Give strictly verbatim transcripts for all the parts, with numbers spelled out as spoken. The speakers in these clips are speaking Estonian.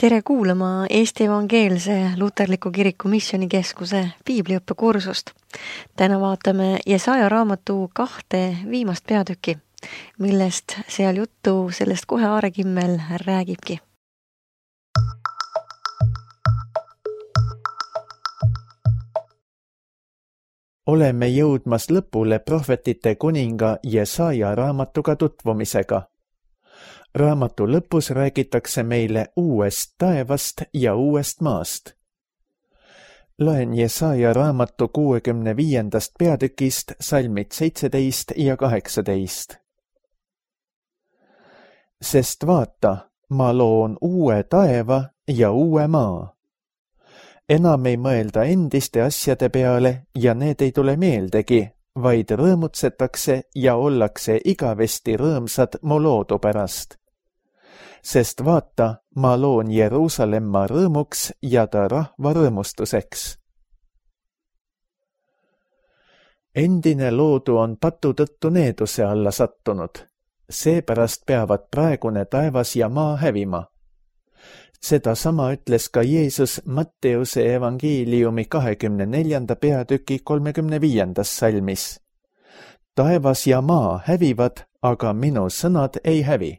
Tere kuulama Eesti Evangeelse Luterliku Kiriku Missioonikeskuse piibliõppekursust. Täna vaatame Jesaja raamatu kahte viimast peatükki, millest seal juttu sellest kohe Aarekimmel räägibki. Oleme jõudmas lõpule prohvetite kuninga Jesaja raamatuga tutvumisega. Raamatu lõpus räägitakse meile uuest taevast ja uuest maast. Loen Jesaja raamatu kuuekümne viiendast peatükist salmid seitseteist ja kaheksateist. Sest vaata, ma loon uue taeva ja uue maa. Enam ei mõelda endiste asjade peale ja need ei tule meeldegi, vaid rõõmutsetakse ja ollakse igavesti rõõmsad mu loodu pärast. Sest vaata, ma loon Jeruusalemma rõõmuks ja ta rahva rõõmustuseks. Endine loodu on patu tõttu needuse alla sattunud. Seepärast peavad praegune taevas ja maa hävima. Seda sama ütles ka Jeesus Matteuse evangeeliumi kahekümne neljanda peatüki kolmekümne viiendas salmis. Taevas ja maa hävivad, aga minu sõnad ei hävi.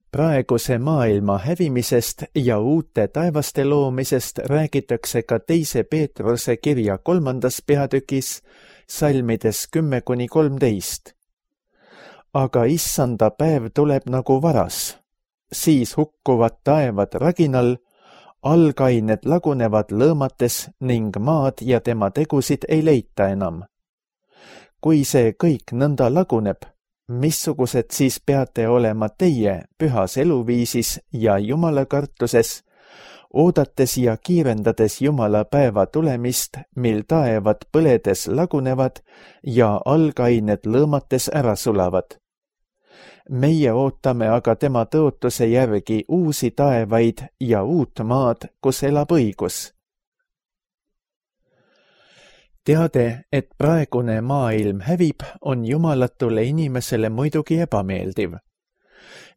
Praeguse maailma hävimisest ja uute taevaste loomisest räägitakse ka teise Peetruse kirja kolmandas peatükis, salmides kümme kuni kolmteist. Aga issanda päev tuleb nagu varas. Siis hukkuvad taevad raginal, algained lagunevad lõõmates ning maad ja tema tegusid ei leita enam. Kui see kõik nõnda laguneb, missugused siis peate olema teie pühas eluviisis ja Jumala kartuses, oodates ja kiirendades Jumala päeva tulemist, mil taevad põledes lagunevad ja algained lõõmates ära sulavad. Meie ootame aga tema tõotuse järgi uusi taevaid ja uut maad, kus elab õigus. Teade, et praegune maailm hävib, on jumalatule inimesele muidugi ebameeldiv.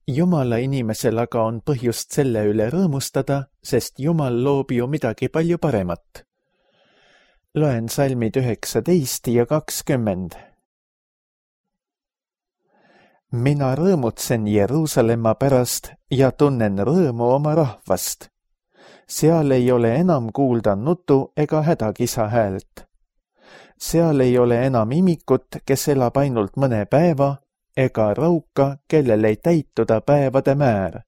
Jumala inimesel aga on põhjust selle üle rõõmustada, sest Jumal loob ju midagi palju paremat. Loen salmid üheksateist ja kakskümmend. Mina rõõmutsen Jeruusalemma pärast ja tunnen rõõmu oma rahvast. Seal ei ole enam kuulda nutu ega hädakisa häält. Seal ei ole enam imikut, kes elab ainult mõne päeva, ega rauka, kellel ei täituda päevade määr.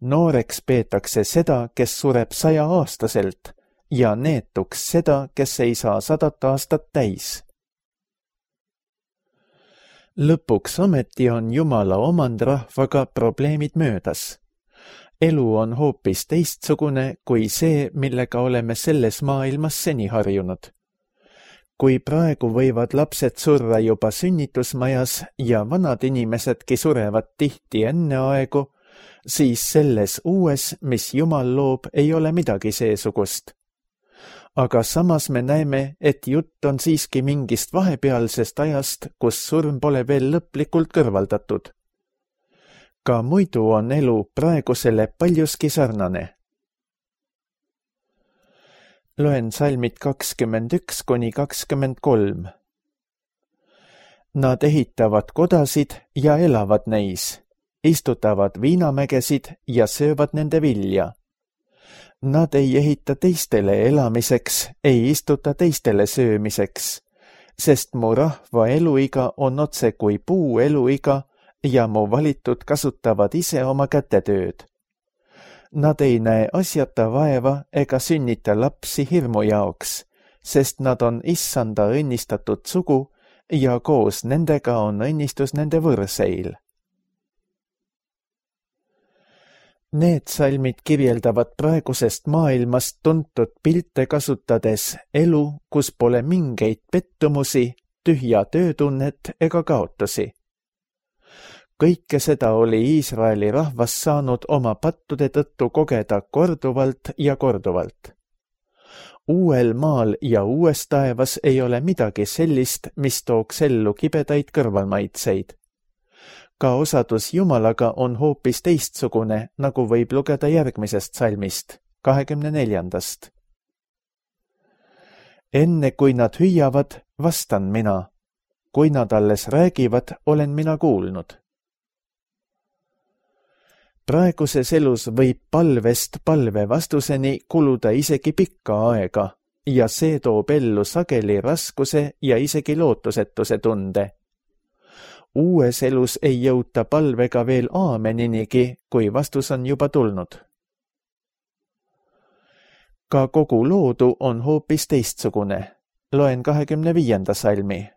Nooreks peetakse seda, kes sureb saja aastaselt, ja neetuks seda, kes ei saa sadat aastat täis. Lõpuks ometi on Jumala omandrahvaga probleemid möödas. Elu on hoopis teistsugune kui see, millega oleme selles maailmas seni harjunud. Kui praegu võivad lapsed surra juba sünnitusmajas ja vanad inimesedki surevad tihti enne aegu, siis selles uues, mis Jumal loob, ei ole midagi seesugust. Aga samas me näeme, et jutt on siiski mingist vahepealsest ajast, kus surm pole veel lõplikult kõrvaldatud. Ka muidu on elu praegusele paljuski sarnane. Loen salmid kakskümmend üks kuni kakskümmend kolm. Nad ehitavad kodasid ja elavad neis, istutavad viinamägesid ja söövad nende vilja. Nad ei ehita teistele elamiseks, ei istuta teistele söömiseks, sest mu rahva eluiga on otse kui puu eluiga ja mu valitud kasutavad ise oma kätetööd. Nad ei näe asjata vaeva ega sünnita lapsi hirmu jaoks, sest nad on issanda õnnistatud sugu ja koos nendega on õnnistus nende võrseil. Need salmid kirjeldavad praegusest maailmast tuntud pilte kasutades elu, kus pole mingeid pettumusi, tühja töötunnet ega kaotusi. Kõike seda oli Iisraeli rahvas saanud oma pattude tõttu kogeda korduvalt ja korduvalt. Uuel maal ja uues taevas ei ole midagi sellist, mis tooks ellu kibedaid kõrvalmaitseid. Ka osadus Jumalaga on hoopis teistsugune, nagu võib lugeda järgmisest salmist, kahekümne neljandast. Enne kui nad hüüavad, vastan mina. Kui nad alles räägivad, olen mina kuulnud. Praeguses elus võib palvest palve vastuseni kuluda isegi pikka aega ja see toob ellu sageli raskuse ja isegi lootusetuse tunde. Uues elus ei jõuta palvega veel aameninigi, kui vastus on juba tulnud. Ka kogu loodu on hoopis teistsugune. Loen kahekümne viienda salmi.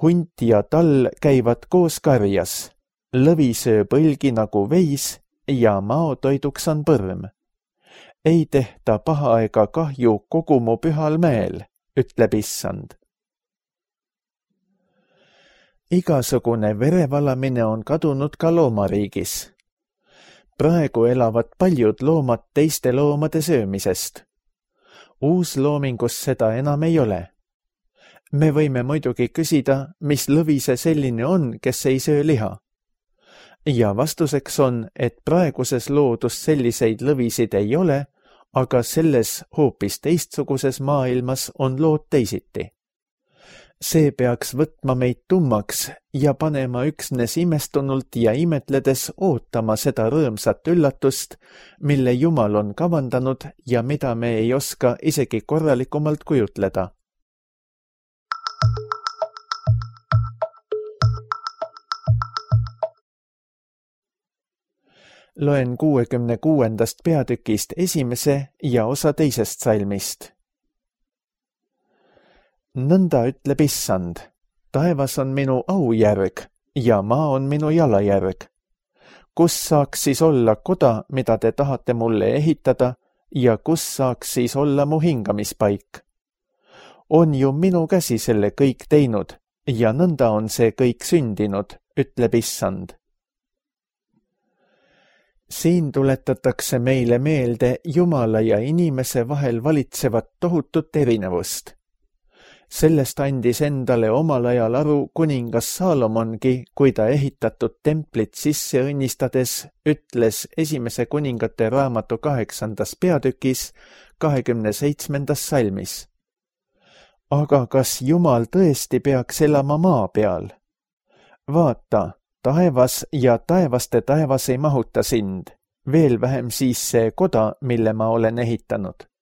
Hunt ja tall käivad koos karjas. Lõvi sööb õlgi nagu veis ja maotoiduks on põrm. Ei tehta paha ega kahju kogu mu pühal mäel, ütleb issand. Igasugune verevalamine on kadunud ka loomariigis. Praegu elavad paljud loomad teiste loomade söömisest. Uusloomingus seda enam ei ole. Me võime muidugi küsida, mis lõvi see selline on, kes ei söö liha. Ja vastuseks on, et praeguses loodus selliseid lõvisid ei ole, aga selles hoopis teistsuguses maailmas on lood teisiti. See peaks võtma meid tummaks ja panema üksnes imestunult ja imetledes ootama seda rõõmsat üllatust, mille Jumal on kavandanud ja mida me ei oska isegi korralikumalt kujutleda. Loen kuuekümne kuuendast peatükist esimese ja osa teisest salmist. Nõnda ütleb issand, taevas on minu aujärg ja maa on minu jalajärg. Kus saaks siis olla koda, mida te tahate mulle ehitada ja kus saaks siis olla mu hingamispaik? On ju minu käsi selle kõik teinud ja nõnda on see kõik sündinud, ütleb issand. Siin tuletatakse meile meelde Jumala ja inimese vahel valitsevat tohutut erinevust. Sellest andis endale omal ajal aru kuningas Saalomongi, kui ta ehitatud templit sisse õnnistades ütles esimese kuningate raamatu kaheksandas peatükis kahekümne seitsmendas salmis. Aga kas Jumal tõesti peaks elama maa peal? Vaata, taevas ja taevaste taevas ei mahuta sind, veel vähem siis see koda, mille ma olen ehitanud.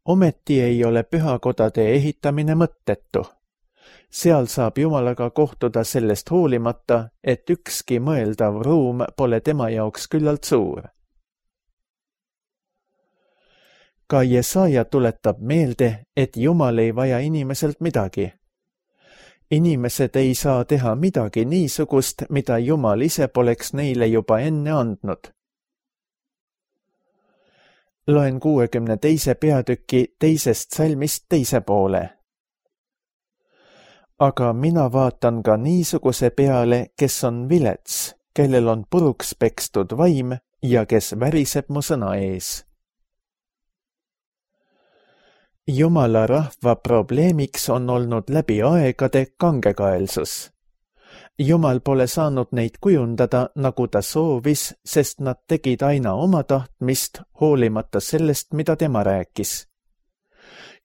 Ometi ei ole pühakodade ehitamine mõttetu. Seal saab Jumalaga kohtuda sellest hoolimata, et ükski mõeldav ruum pole tema jaoks küllalt suur. Ka Jesaja tuletab meelde, et Jumal ei vaja inimeselt midagi. Inimesed ei saa teha midagi niisugust, mida Jumal ise poleks neile juba enne andnud. Loen kuuekümne teise peatüki teisest salmist teise poole. Aga mina vaatan ka niisuguse peale, kes on vilets, kellel on puruks pekstud vaim ja kes väriseb mu sõna ees. Jumala rahva probleemiks on olnud läbi aegade kangekaelsus. Jumal pole saanud neid kujundada, nagu ta soovis, sest nad tegid aina oma tahtmist, hoolimata sellest, mida tema rääkis.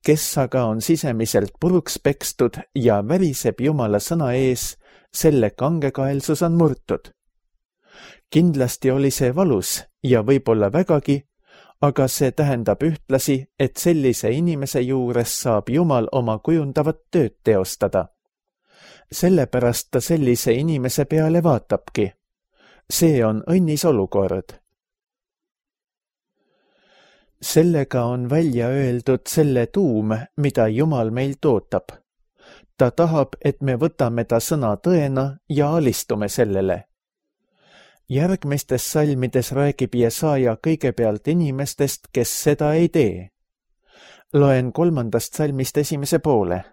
Kes aga on sisemiselt puruks pekstud ja väriseb Jumala sõna ees, selle kangekaelsus on murtud. Kindlasti oli see valus ja võib-olla vägagi, aga see tähendab ühtlasi, et sellise inimese juures saab Jumal oma kujundavat tööd teostada. Sellepärast ta sellise inimese peale vaatabki. See on õnnis olukord. Sellega on välja öeldud selle tuum, mida Jumal meilt ootab. Ta tahab, et me võtame ta sõna tõena ja alistume sellele. Järgmistes salmides räägib Jesaja kõigepealt inimestest, kes seda ei tee. Loen kolmandast salmist esimese poole.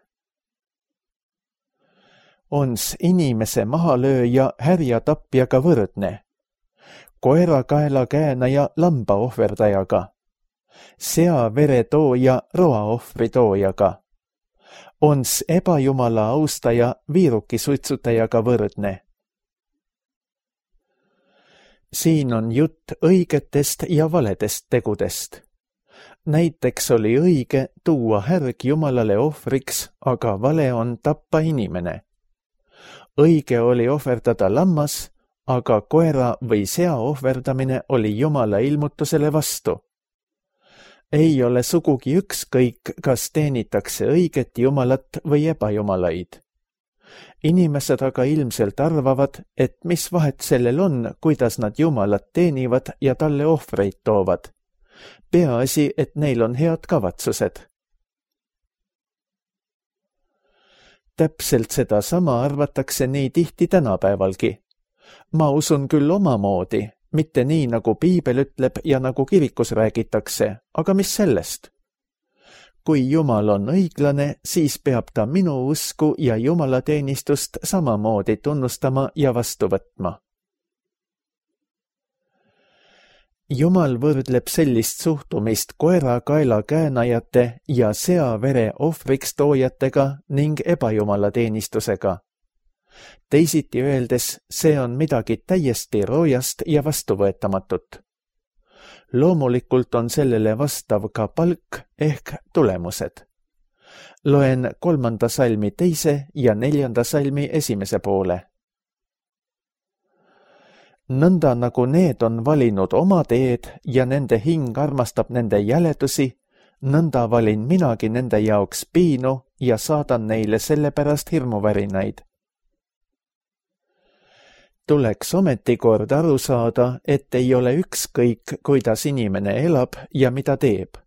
Ons inimese mahalööja härja tapjaga võrdne, koera kaela käänaja lamba ohverdajaga, sea vere tooja roa ohvri toojaga, Ons ebajumala austaja viirukisuitsutajaga võrdne. Siin on jutt õigetest ja valedest tegudest. Näiteks oli õige tuua härg Jumalale ohvriks, aga vale on tappa inimene. Õige oli ohverdada lammas, aga koera või sea ohverdamine oli Jumala ilmutusele vastu. Ei ole sugugi ükskõik, kas teenitakse õiget Jumalat või ebajumalaid. Inimesed aga ilmselt arvavad, et mis vahet sellel on, kuidas nad Jumalat teenivad ja talle ohvreid toovad. Peaasi, et neil on head kavatsused. Täpselt seda sama arvatakse nii tihti tänapäevalgi. Ma usun küll omamoodi, mitte nii, nagu piibel ütleb ja nagu kirikus räägitakse, aga mis sellest? Kui Jumal on õiglane, siis peab ta minu usku ja jumalateenistust samamoodi tunnustama ja vastu võtma. Jumal võrdleb sellist suhtumist koera kaela käänajate ja sea vere ohvriks toojatega ning ebajumalateenistusega. Teisiti öeldes, see on midagi täiesti roojast ja vastuvõetamatut. Loomulikult on sellele vastav ka palk ehk tulemused. Loen kolmanda salmi teise ja neljanda salmi esimese poole. Nõnda nagu need on valinud oma teed ja nende hing armastab nende jäledusi, nõnda valin minagi nende jaoks piinu ja saadan neile selle pärast hirmuvärinaid. Tuleks ometikord aru saada, et ei ole ükskõik, kuidas inimene elab ja mida teeb.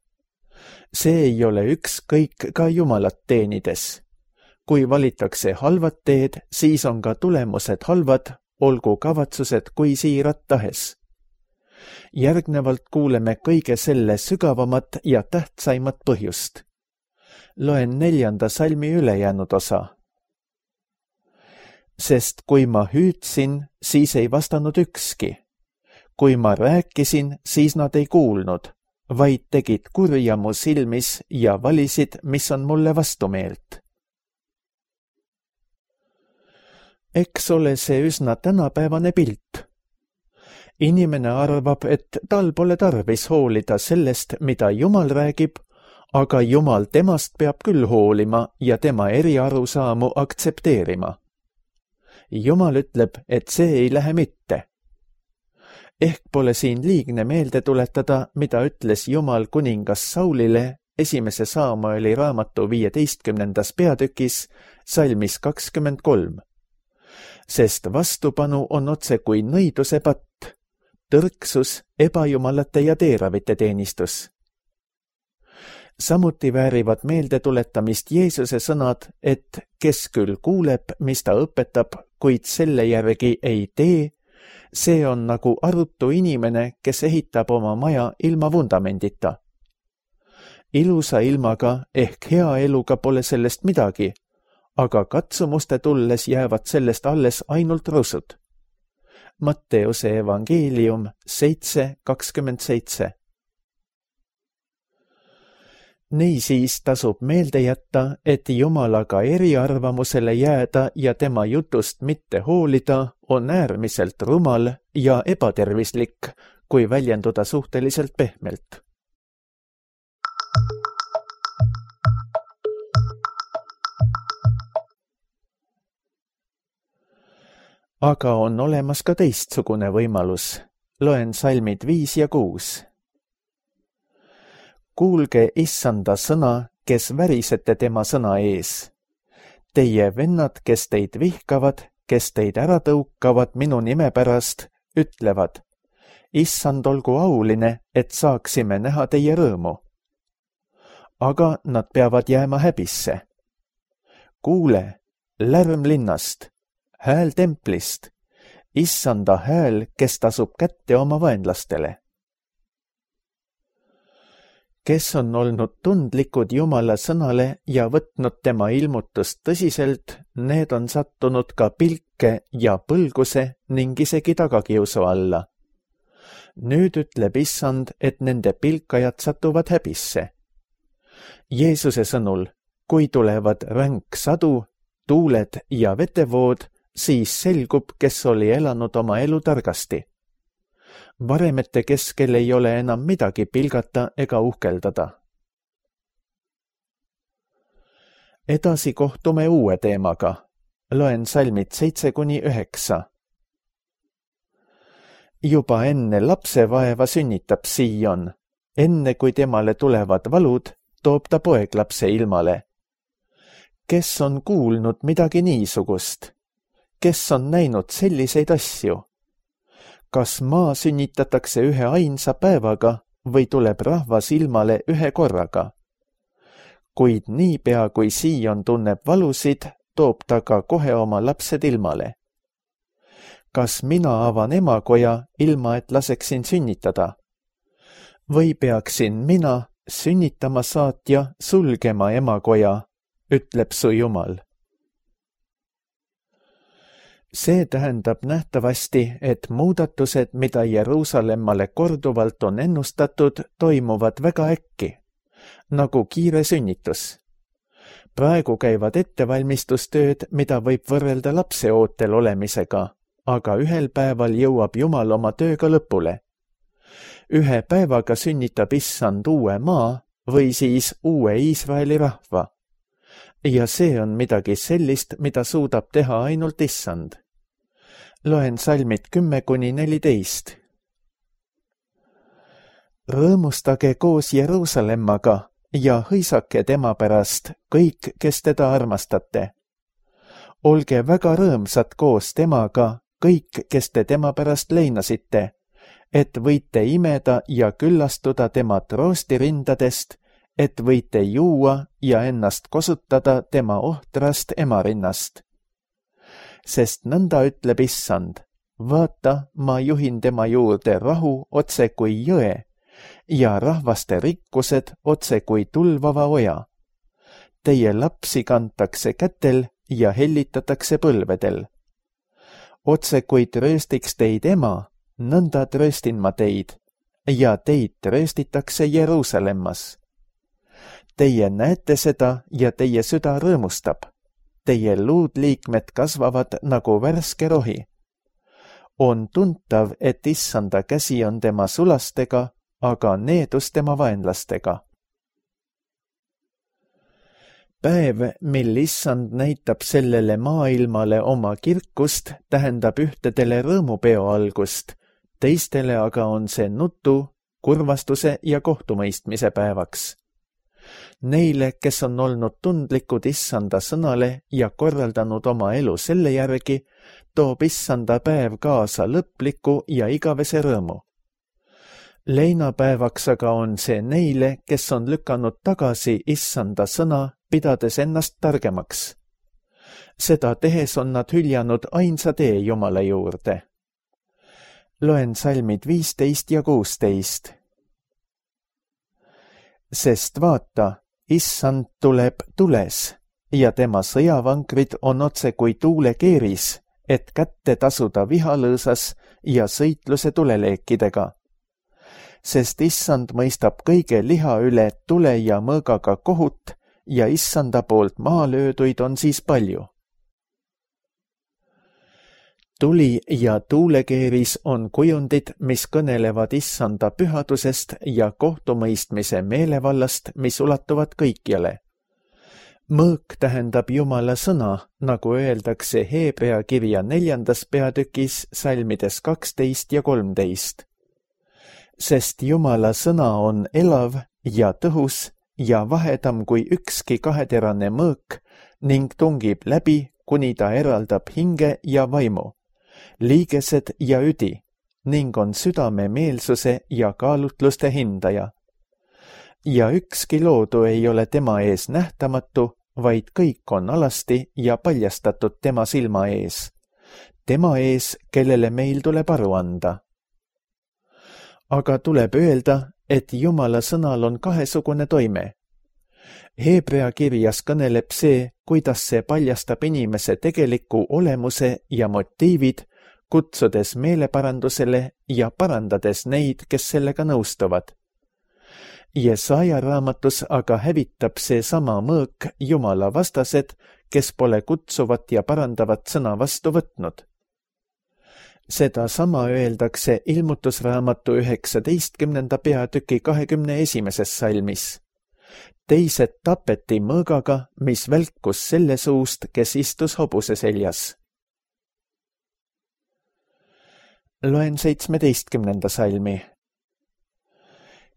See ei ole ükskõik ka Jumalat teenides. Kui valitakse halvad teed, siis on ka tulemused halvad, olgu kavatsused kui siirad tahes. Järgnevalt kuuleme kõige selle sügavamat ja tähtsaimat põhjust. Loen neljanda salmi ülejäänud osa. Sest kui ma hüüdsin, siis ei vastanud ükski. Kui ma rääkisin, siis nad ei kuulnud, vaid tegid kurja mu silmis ja valisid, mis on mulle vastumeelt. Eks ole see üsna tänapäevane pilt. Inimene arvab, et tal pole tarvis hoolida sellest, mida Jumal räägib, aga Jumal temast peab küll hoolima ja tema eriarusaamu aktsepteerima. Jumal ütleb, et see ei lähe mitte. Ehk pole siin liigne meelde tuletada, mida ütles Jumal kuningas Saulile esimese Saamueli raamatu viieteistkümnendas peatükis, salmis kakskümmend kolm. Sest vastupanu on otse kui nõiduse patt, tõrksus, ebajumalate ja teeravite teenistus. Samuti väärivad meelde tuletamist Jeesuse sõnad, et kes küll kuuleb, mis ta õpetab, kuid selle järgi ei tee, see on nagu arutu inimene, kes ehitab oma maja ilma vundamendita. Ilusa ilmaga ehk hea eluga pole sellest midagi, aga katsumuste tulles jäävad sellest alles ainult rusud. Matteuse evangeelium seitse kakskümmend seitse. Niisiis tasub meelde jätta, et Jumalaga eriarvamusele jääda ja tema jutust mitte hoolida on äärmiselt rumal ja ebatervislik, kui väljenduda suhteliselt pehmelt. Aga on olemas ka teistsugune võimalus. Loen salmid viis ja kuus. Kuulge issanda sõna, kes värisete tema sõna ees. Teie vennad, kes teid vihkavad, kes teid ära tõukavad minu nime pärast, ütlevad, issand olgu auline, et saaksime näha teie rõõmu. Aga nad peavad jääma häbisse. Kuule, lärm linnast, hääl templist, issanda hääl, kes tasub kätte oma vaenlastele. Kes on olnud tundlikud Jumala sõnale ja võtnud tema ilmutust tõsiselt, need on sattunud ka pilke ja põlguse ning isegi tagakiusu alla. Nüüd ütleb issand, et nende pilkajad satuvad häbisse. Jeesuse sõnul, kui tulevad ränk sadu, tuuled ja vetevood, siis selgub, kes oli elanud oma elu targasti. Varemete keskel ei ole enam midagi pilgata ega uhkeldada. Edasi kohtume uue teemaga. Loen salmid seitse kuni üheksa. Juba enne lapsevaeva sünnitab Sion. Enne kui temale tulevad valud, toob ta poeglapse ilmale. Kes on kuulnud midagi niisugust? Kes on näinud selliseid asju? Kas maa sünnitatakse ühe ainsa päevaga või tuleb rahvas ilmale ühe korraga? Kuid niipea kui Sion tunneb valusid, toob ta ka kohe oma lapsed ilmale. Kas mina avan emakoja, ilma et laseksin sünnitada? Või peaksin mina, sünnitama saatja, sulgema emakoja, ütleb su Jumal. See tähendab nähtavasti, et muudatused, mida Jeruusalemmale korduvalt on ennustatud, toimuvad väga äkki, nagu kiire sünnitus. Praegu käivad ettevalmistustööd, mida võib võrrelda lapseootel olemisega, aga ühel päeval jõuab Jumal oma tööga lõpule. Ühe päevaga sünnitab Issand uue maa või siis uue Iisraeli rahva. Ja see on midagi sellist, mida suudab teha ainult Issand. Loen salmid kümme kuni neliteist. Rõõmustage koos Jeruusalemmaga ja hõisake tema pärast kõik, kes teda armastate. Olge väga rõõmsad koos temaga kõik, kes te tema pärast leinasite, et võite imeda ja küllastuda tema troostirindadest, et võite juua ja ennast kosutada tema ohtrast emarinnast. Sest nõnda ütleb Issand, vaata, ma juhin tema juurde rahu otse kui jõe ja rahvaste rikkused otse kui tulvava oja. Teie lapsi kantakse kätel ja hellitatakse põlvedel. Otse kui trööstiks teid ema, nõnda trööstin ma teid ja teid trööstitakse Jeruusalemmas. Teie näete seda ja teie süda rõõmustab. Teie luudliikmed kasvavad nagu värske rohi. On tuntav, et Issanda käsi on tema sulastega, aga needus tema vaenlastega. Päev, mil Issand näitab sellele maailmale oma kirkust, tähendab ühtedele rõõmupeo algust, teistele aga on see nutu, kurvastuse ja kohtumõistmise päevaks. Neile, kes on olnud tundlikud Issanda sõnale ja korraldanud oma elu selle järgi, toob Issanda päev kaasa lõpliku ja igavese rõõmu. Leinapäevaks aga on see neile, kes on lükanud tagasi Issanda sõna, pidades ennast targemaks. Seda tehes on nad hüljanud ainsa tee Jumala juurde. Loen salmid viisteist ja kuusteist. Sest vaata, Issand tuleb tules ja tema sõjavankrid on otse kui tuulekeeris, et kätte tasuda vihalõõsas ja sõitluse tuleleekidega. Sest Issand mõistab kõige liha üle tule ja mõõgaga kohut ja Issanda poolt maha lööduid on siis palju. Tuli ja tuulekeeris on kujundid, mis kõnelevad Issanda pühadusest ja kohtumõistmise meelevallast, mis ulatuvad kõikjale. Mõõk tähendab Jumala sõna, nagu öeldakse Heebrea kirja neljandas peatükis salmides kaksteist ja kolmteist. Sest Jumala sõna on elav ja tõhus ja vahedam kui ükski kaheterane mõõk ning tungib läbi, kuni ta eraldab hinge ja vaimu, liigesed ja üdi ning on südame meelsuse ja kaalutluste hindaja. Ja ükski loodu ei ole tema ees nähtamatu, vaid kõik on alasti ja paljastatud tema silma ees. Tema ees, kellele meil tuleb aru anda. Aga tuleb öelda, et Jumala sõnal on kahesugune toime. Heebrea kirjas kõneleb see, kuidas see paljastab inimese tegeliku olemuse ja motiivid, kutsudes meeleparandusele ja parandades neid, kes sellega nõustuvad. Jesaja raamatus aga hävitab see sama mõõk Jumala vastased, kes pole kutsuvat ja parandavat sõna vastu võtnud. Seda sama öeldakse ilmutusraamatu üheksateistkümnenda peatüki kahekümne esimeses salmis. Teised tapeti mõõgaga, mis välkus selle suust, kes istus hobuse seljas. Loen seitsmeteistkümnenda salmi.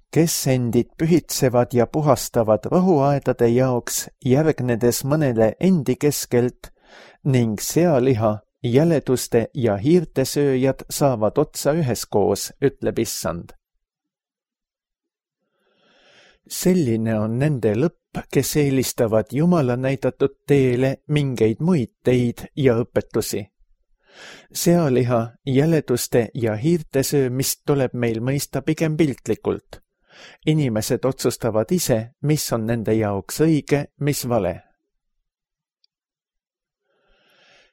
Kes endid pühitsevad ja puhastavad rohuaedade jaoks, järgnedes mõnele endi keskelt ning sealiha, jäleduste ja hiirte sööjad saavad otsa üheskoos, ütleb Issand. Selline on nende lõpp, kes eelistavad Jumala näidatud teele mingeid muid teid ja õpetusi. Sealiha, jäleduste ja hiirte söömist tuleb meil mõista pigem piltlikult. Inimesed otsustavad ise, mis on nende jaoks õige, mis vale.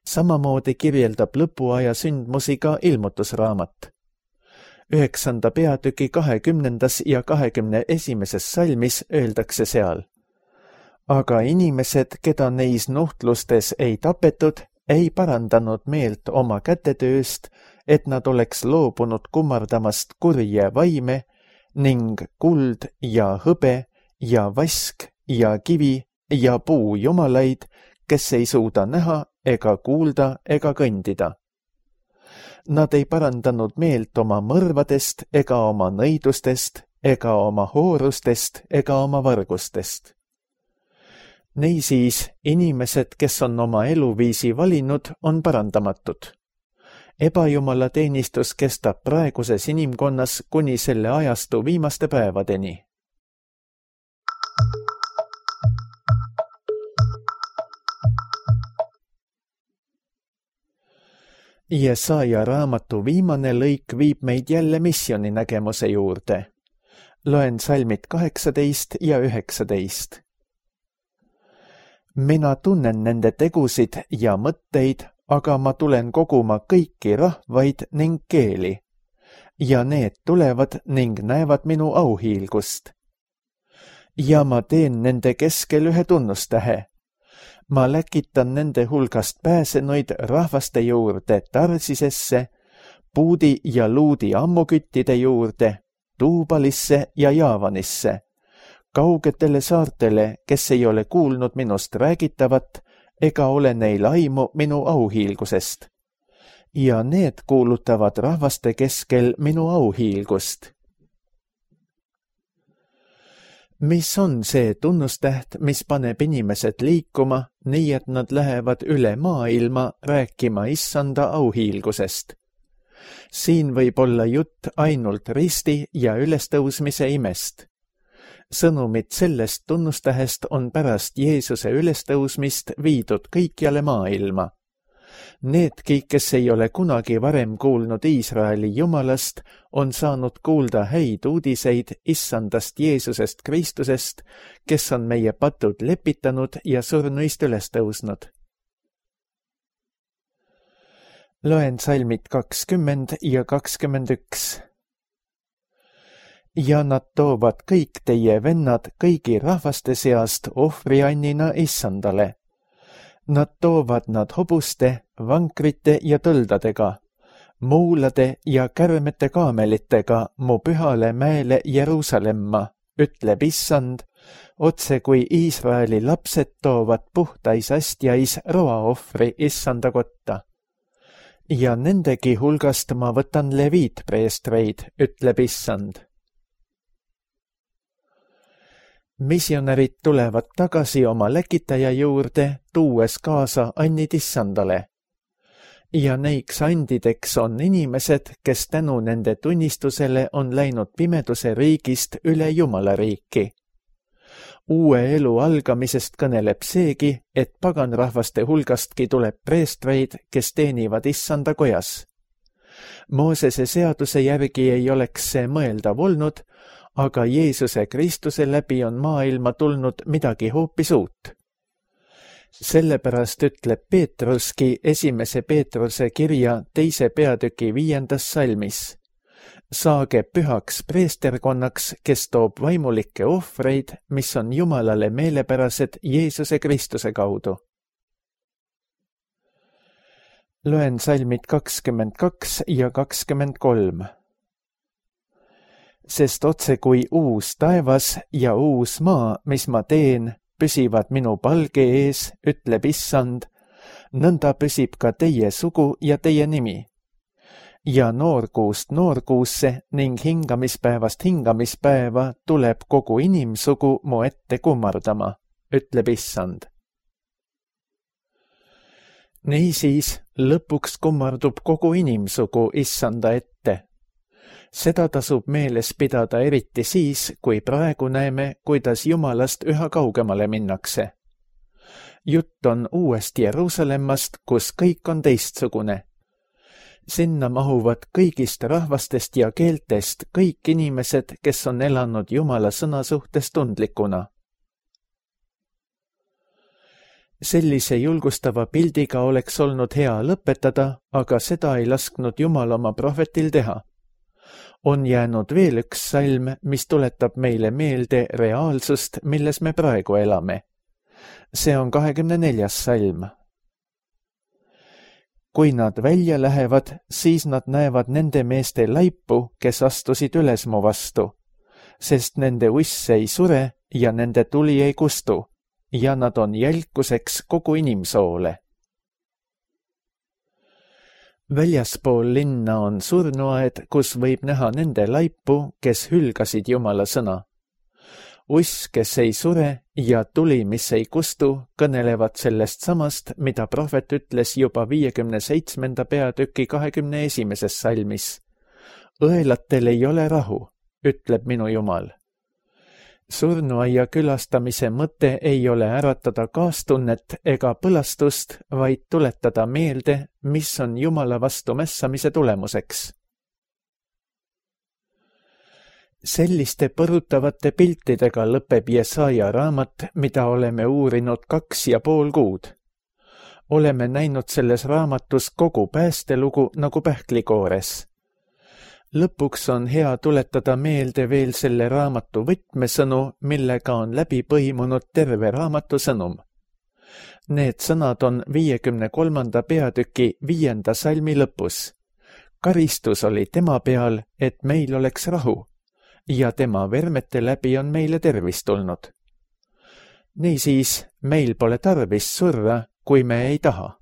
Samamoodi kirjeldab lõpuaja sündmusi ka ilmutusraamat. Üheksanda peatüki kahekümnendas ja kahekümne esimeses salmis öeldakse seal. Aga inimesed, keda neis nuhtlustes ei tapetud, ei parandanud meelt oma kätetööst, et nad oleks loobunud kummardamast kurje vaime ning kuld ja hõbe ja vask ja kivi ja puu jumalaid, kes ei suuda näha ega kuulda ega kõndida. Nad ei parandanud meelt oma mõrvadest ega oma nõidustest ega oma hoorustest ega oma vargustest. Neisiis, inimesed, kes on oma eluviisi valinud, on parandamatud. Ebajumala teenistus kestab praeguses inimkonnas kuni selle ajastu viimaste päevadeni. Jesaja raamatu viimane lõik viib meid jälle missiooni nägemuse juurde. Loen salmid kaheksateist ja üheksateist. Mina tunnen nende tegusid ja mõtteid, aga ma tulen koguma kõiki rahvaid ning keeli. Ja need tulevad ning näevad minu auhiilgust. Ja ma teen nende keskel ühe tunnustähe. Ma läkitan nende hulgast pääsenuid rahvaste juurde Tarsisesse, Puudi ja Luudi ammuküttide juurde, Tuubalisse ja Jaavanisse, kaugetele saartele, kes ei ole kuulnud minust räägitavat ega ole neil aimu minu auhiilgusest. Ja need kuulutavad rahvaste keskel minu auhiilgust. Mis on see tunnustäht, mis paneb inimesed liikuma, nii et nad lähevad üle maailma rääkima Issanda auhiilgusest? Siin võib olla jutt ainult risti ja ülestõusmise imest. Sõnumid sellest tunnustähest on pärast Jeesuse ülestõusmist viidud kõikjale maailma. Needki, kes ei ole kunagi varem kuulnud Iisraeli Jumalast, on saanud kuulda häid uudiseid Issandast Jeesusest Kristusest, kes on meie patud lepitanud ja surnuist üles tõusnud. Loen salmid kakskümmend ja kakskümmend üks. Ja nad toovad kõik teie vennad kõigi rahvaste seast ohvriannina Issandale. Nad toovad nad hobuste, vankrite ja tõldadega, muulade ja kärmete kaamelitega mu pühale mäele Jeruusalemma, ütleb Issand, otse kui Iisraeli lapsed toovad puhtais astjais roaohvri Issanda kotta. Ja nendegi hulgast ma võtan leviitpreestreid, ütleb Issand. Missionärid tulevad tagasi oma läkitaja juurde, tuues kaasa annid Issandale. Ja neiks andideks on inimesed, kes tänu nende tunnistusele on läinud pimeduse riigist üle Jumala riiki. Uue elu algamisest kõneleb seegi, et paganrahvaste hulgastki tuleb preestreid, kes teenivad Issanda kojas. Moosese seaduse järgi ei oleks see mõeldav olnud, aga Jeesuse Kristuse läbi on maailma tulnud midagi hoopis uut. Sellepärast ütleb Peetruski esimese Peetruse kirja teise peatüki viiendas salmis. saage pühaks preesterkonnaks, kes toob vaimulikke ohvreid, mis on Jumalale meelepärased Jeesuse Kristuse kaudu. Loen salmid kakskümmend kaks ja kakskümmend kolm. Sest otse kui uus taevas ja uus maa, mis ma teen, püsivad minu palge ees, ütleb Issand, nõnda püsib ka teie sugu ja teie nimi. Ja noorkuust noorkuusse ning hingamispäevast hingamispäeva tuleb kogu inimsugu mu ette kummardama, ütleb Issand. Niisiis lõpuks kummardub kogu inimsugu Issanda ette. Seda tasub meeles pidada eriti siis, kui praegu näeme, kuidas Jumalast üha kaugemale minnakse. Jutt on uuest Jeruusalemmast, kus kõik on teistsugune. Sinna mahuvad kõigist rahvastest ja keeltest kõik inimesed, kes on elanud Jumala sõna suhtes tundlikuna. Sellise julgustava pildiga oleks olnud hea lõpetada, aga seda ei lasknud Jumal oma prohvetil teha. On jäänud veel üks salm, mis tuletab meile meelde reaalsust, milles me praegu elame. See on kahekümne neljas salm. Kui nad välja lähevad, siis nad näevad nende meeste laipu, kes astusid üles mu vastu, sest nende uss ei sure ja nende tuli ei kustu, ja nad on jälkuseks kogu inimsoole. Väljaspool linna on surnuaed, kus võib näha nende laipu, kes hülgasid Jumala sõna. Uss, kes ei sure ja tuli, mis ei kustu, kõnelevad sellest samast, mida prohvet ütles juba viiekümne seitsmenda peatüki kahekümne esimeses salmis. Õelatel ei ole rahu, ütleb minu Jumal. Surnuaia külastamise mõte ei ole äratada kaastunnet ega põlastust, vaid tuletada meelde, mis on Jumala vastu mässamise tulemuseks. Selliste põrutavate piltidega lõpeb Jesaja raamat, mida oleme uurinud kaks ja pool kuud. Oleme näinud selles raamatus kogu päästelugu nagu pähklikoores. Lõpuks on hea tuletada meelde veel selle raamatu võtmesõnu, millega on läbi põimunud terve raamatu sõnum. Need sõnad on viiekümne kolmanda peatüki viienda salmi lõpus. Karistus oli tema peal, et meil oleks rahu, ja tema vermete läbi on meile tervis tulnud. Niisiis, meil pole tarvis surra, kui me ei taha.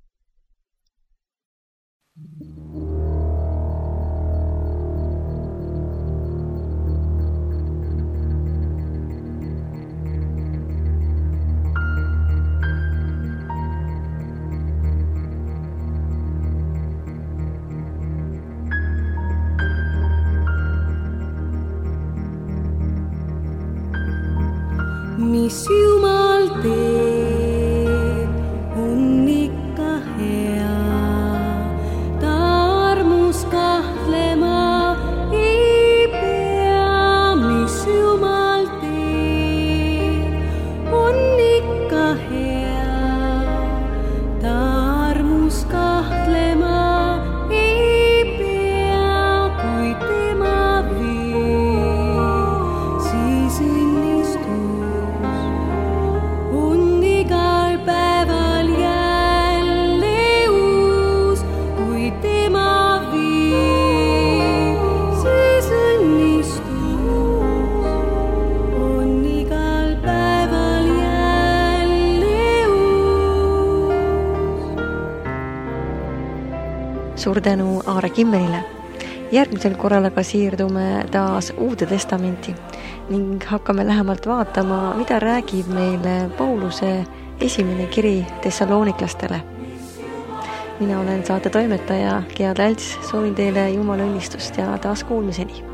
Mis Jumal teeb, on ikka hea, ta armus kahtlema ei pea. Mis Jumal teeb, on ikka hea, ta armus kahtlema ei pea. Kui tema viib, siis õnnistus suur tänu Aare Kimmelile. Järgmisel korral aga siirdume taas Uude Testamenti ning hakkame lähemalt vaatama, mida räägib meile Pauluse esimene kiri Thessaloniklastele. Mina olen saate toimetaja Gea Tälts, soovin teile Jumala õnnistust ja taas kuulmiseni.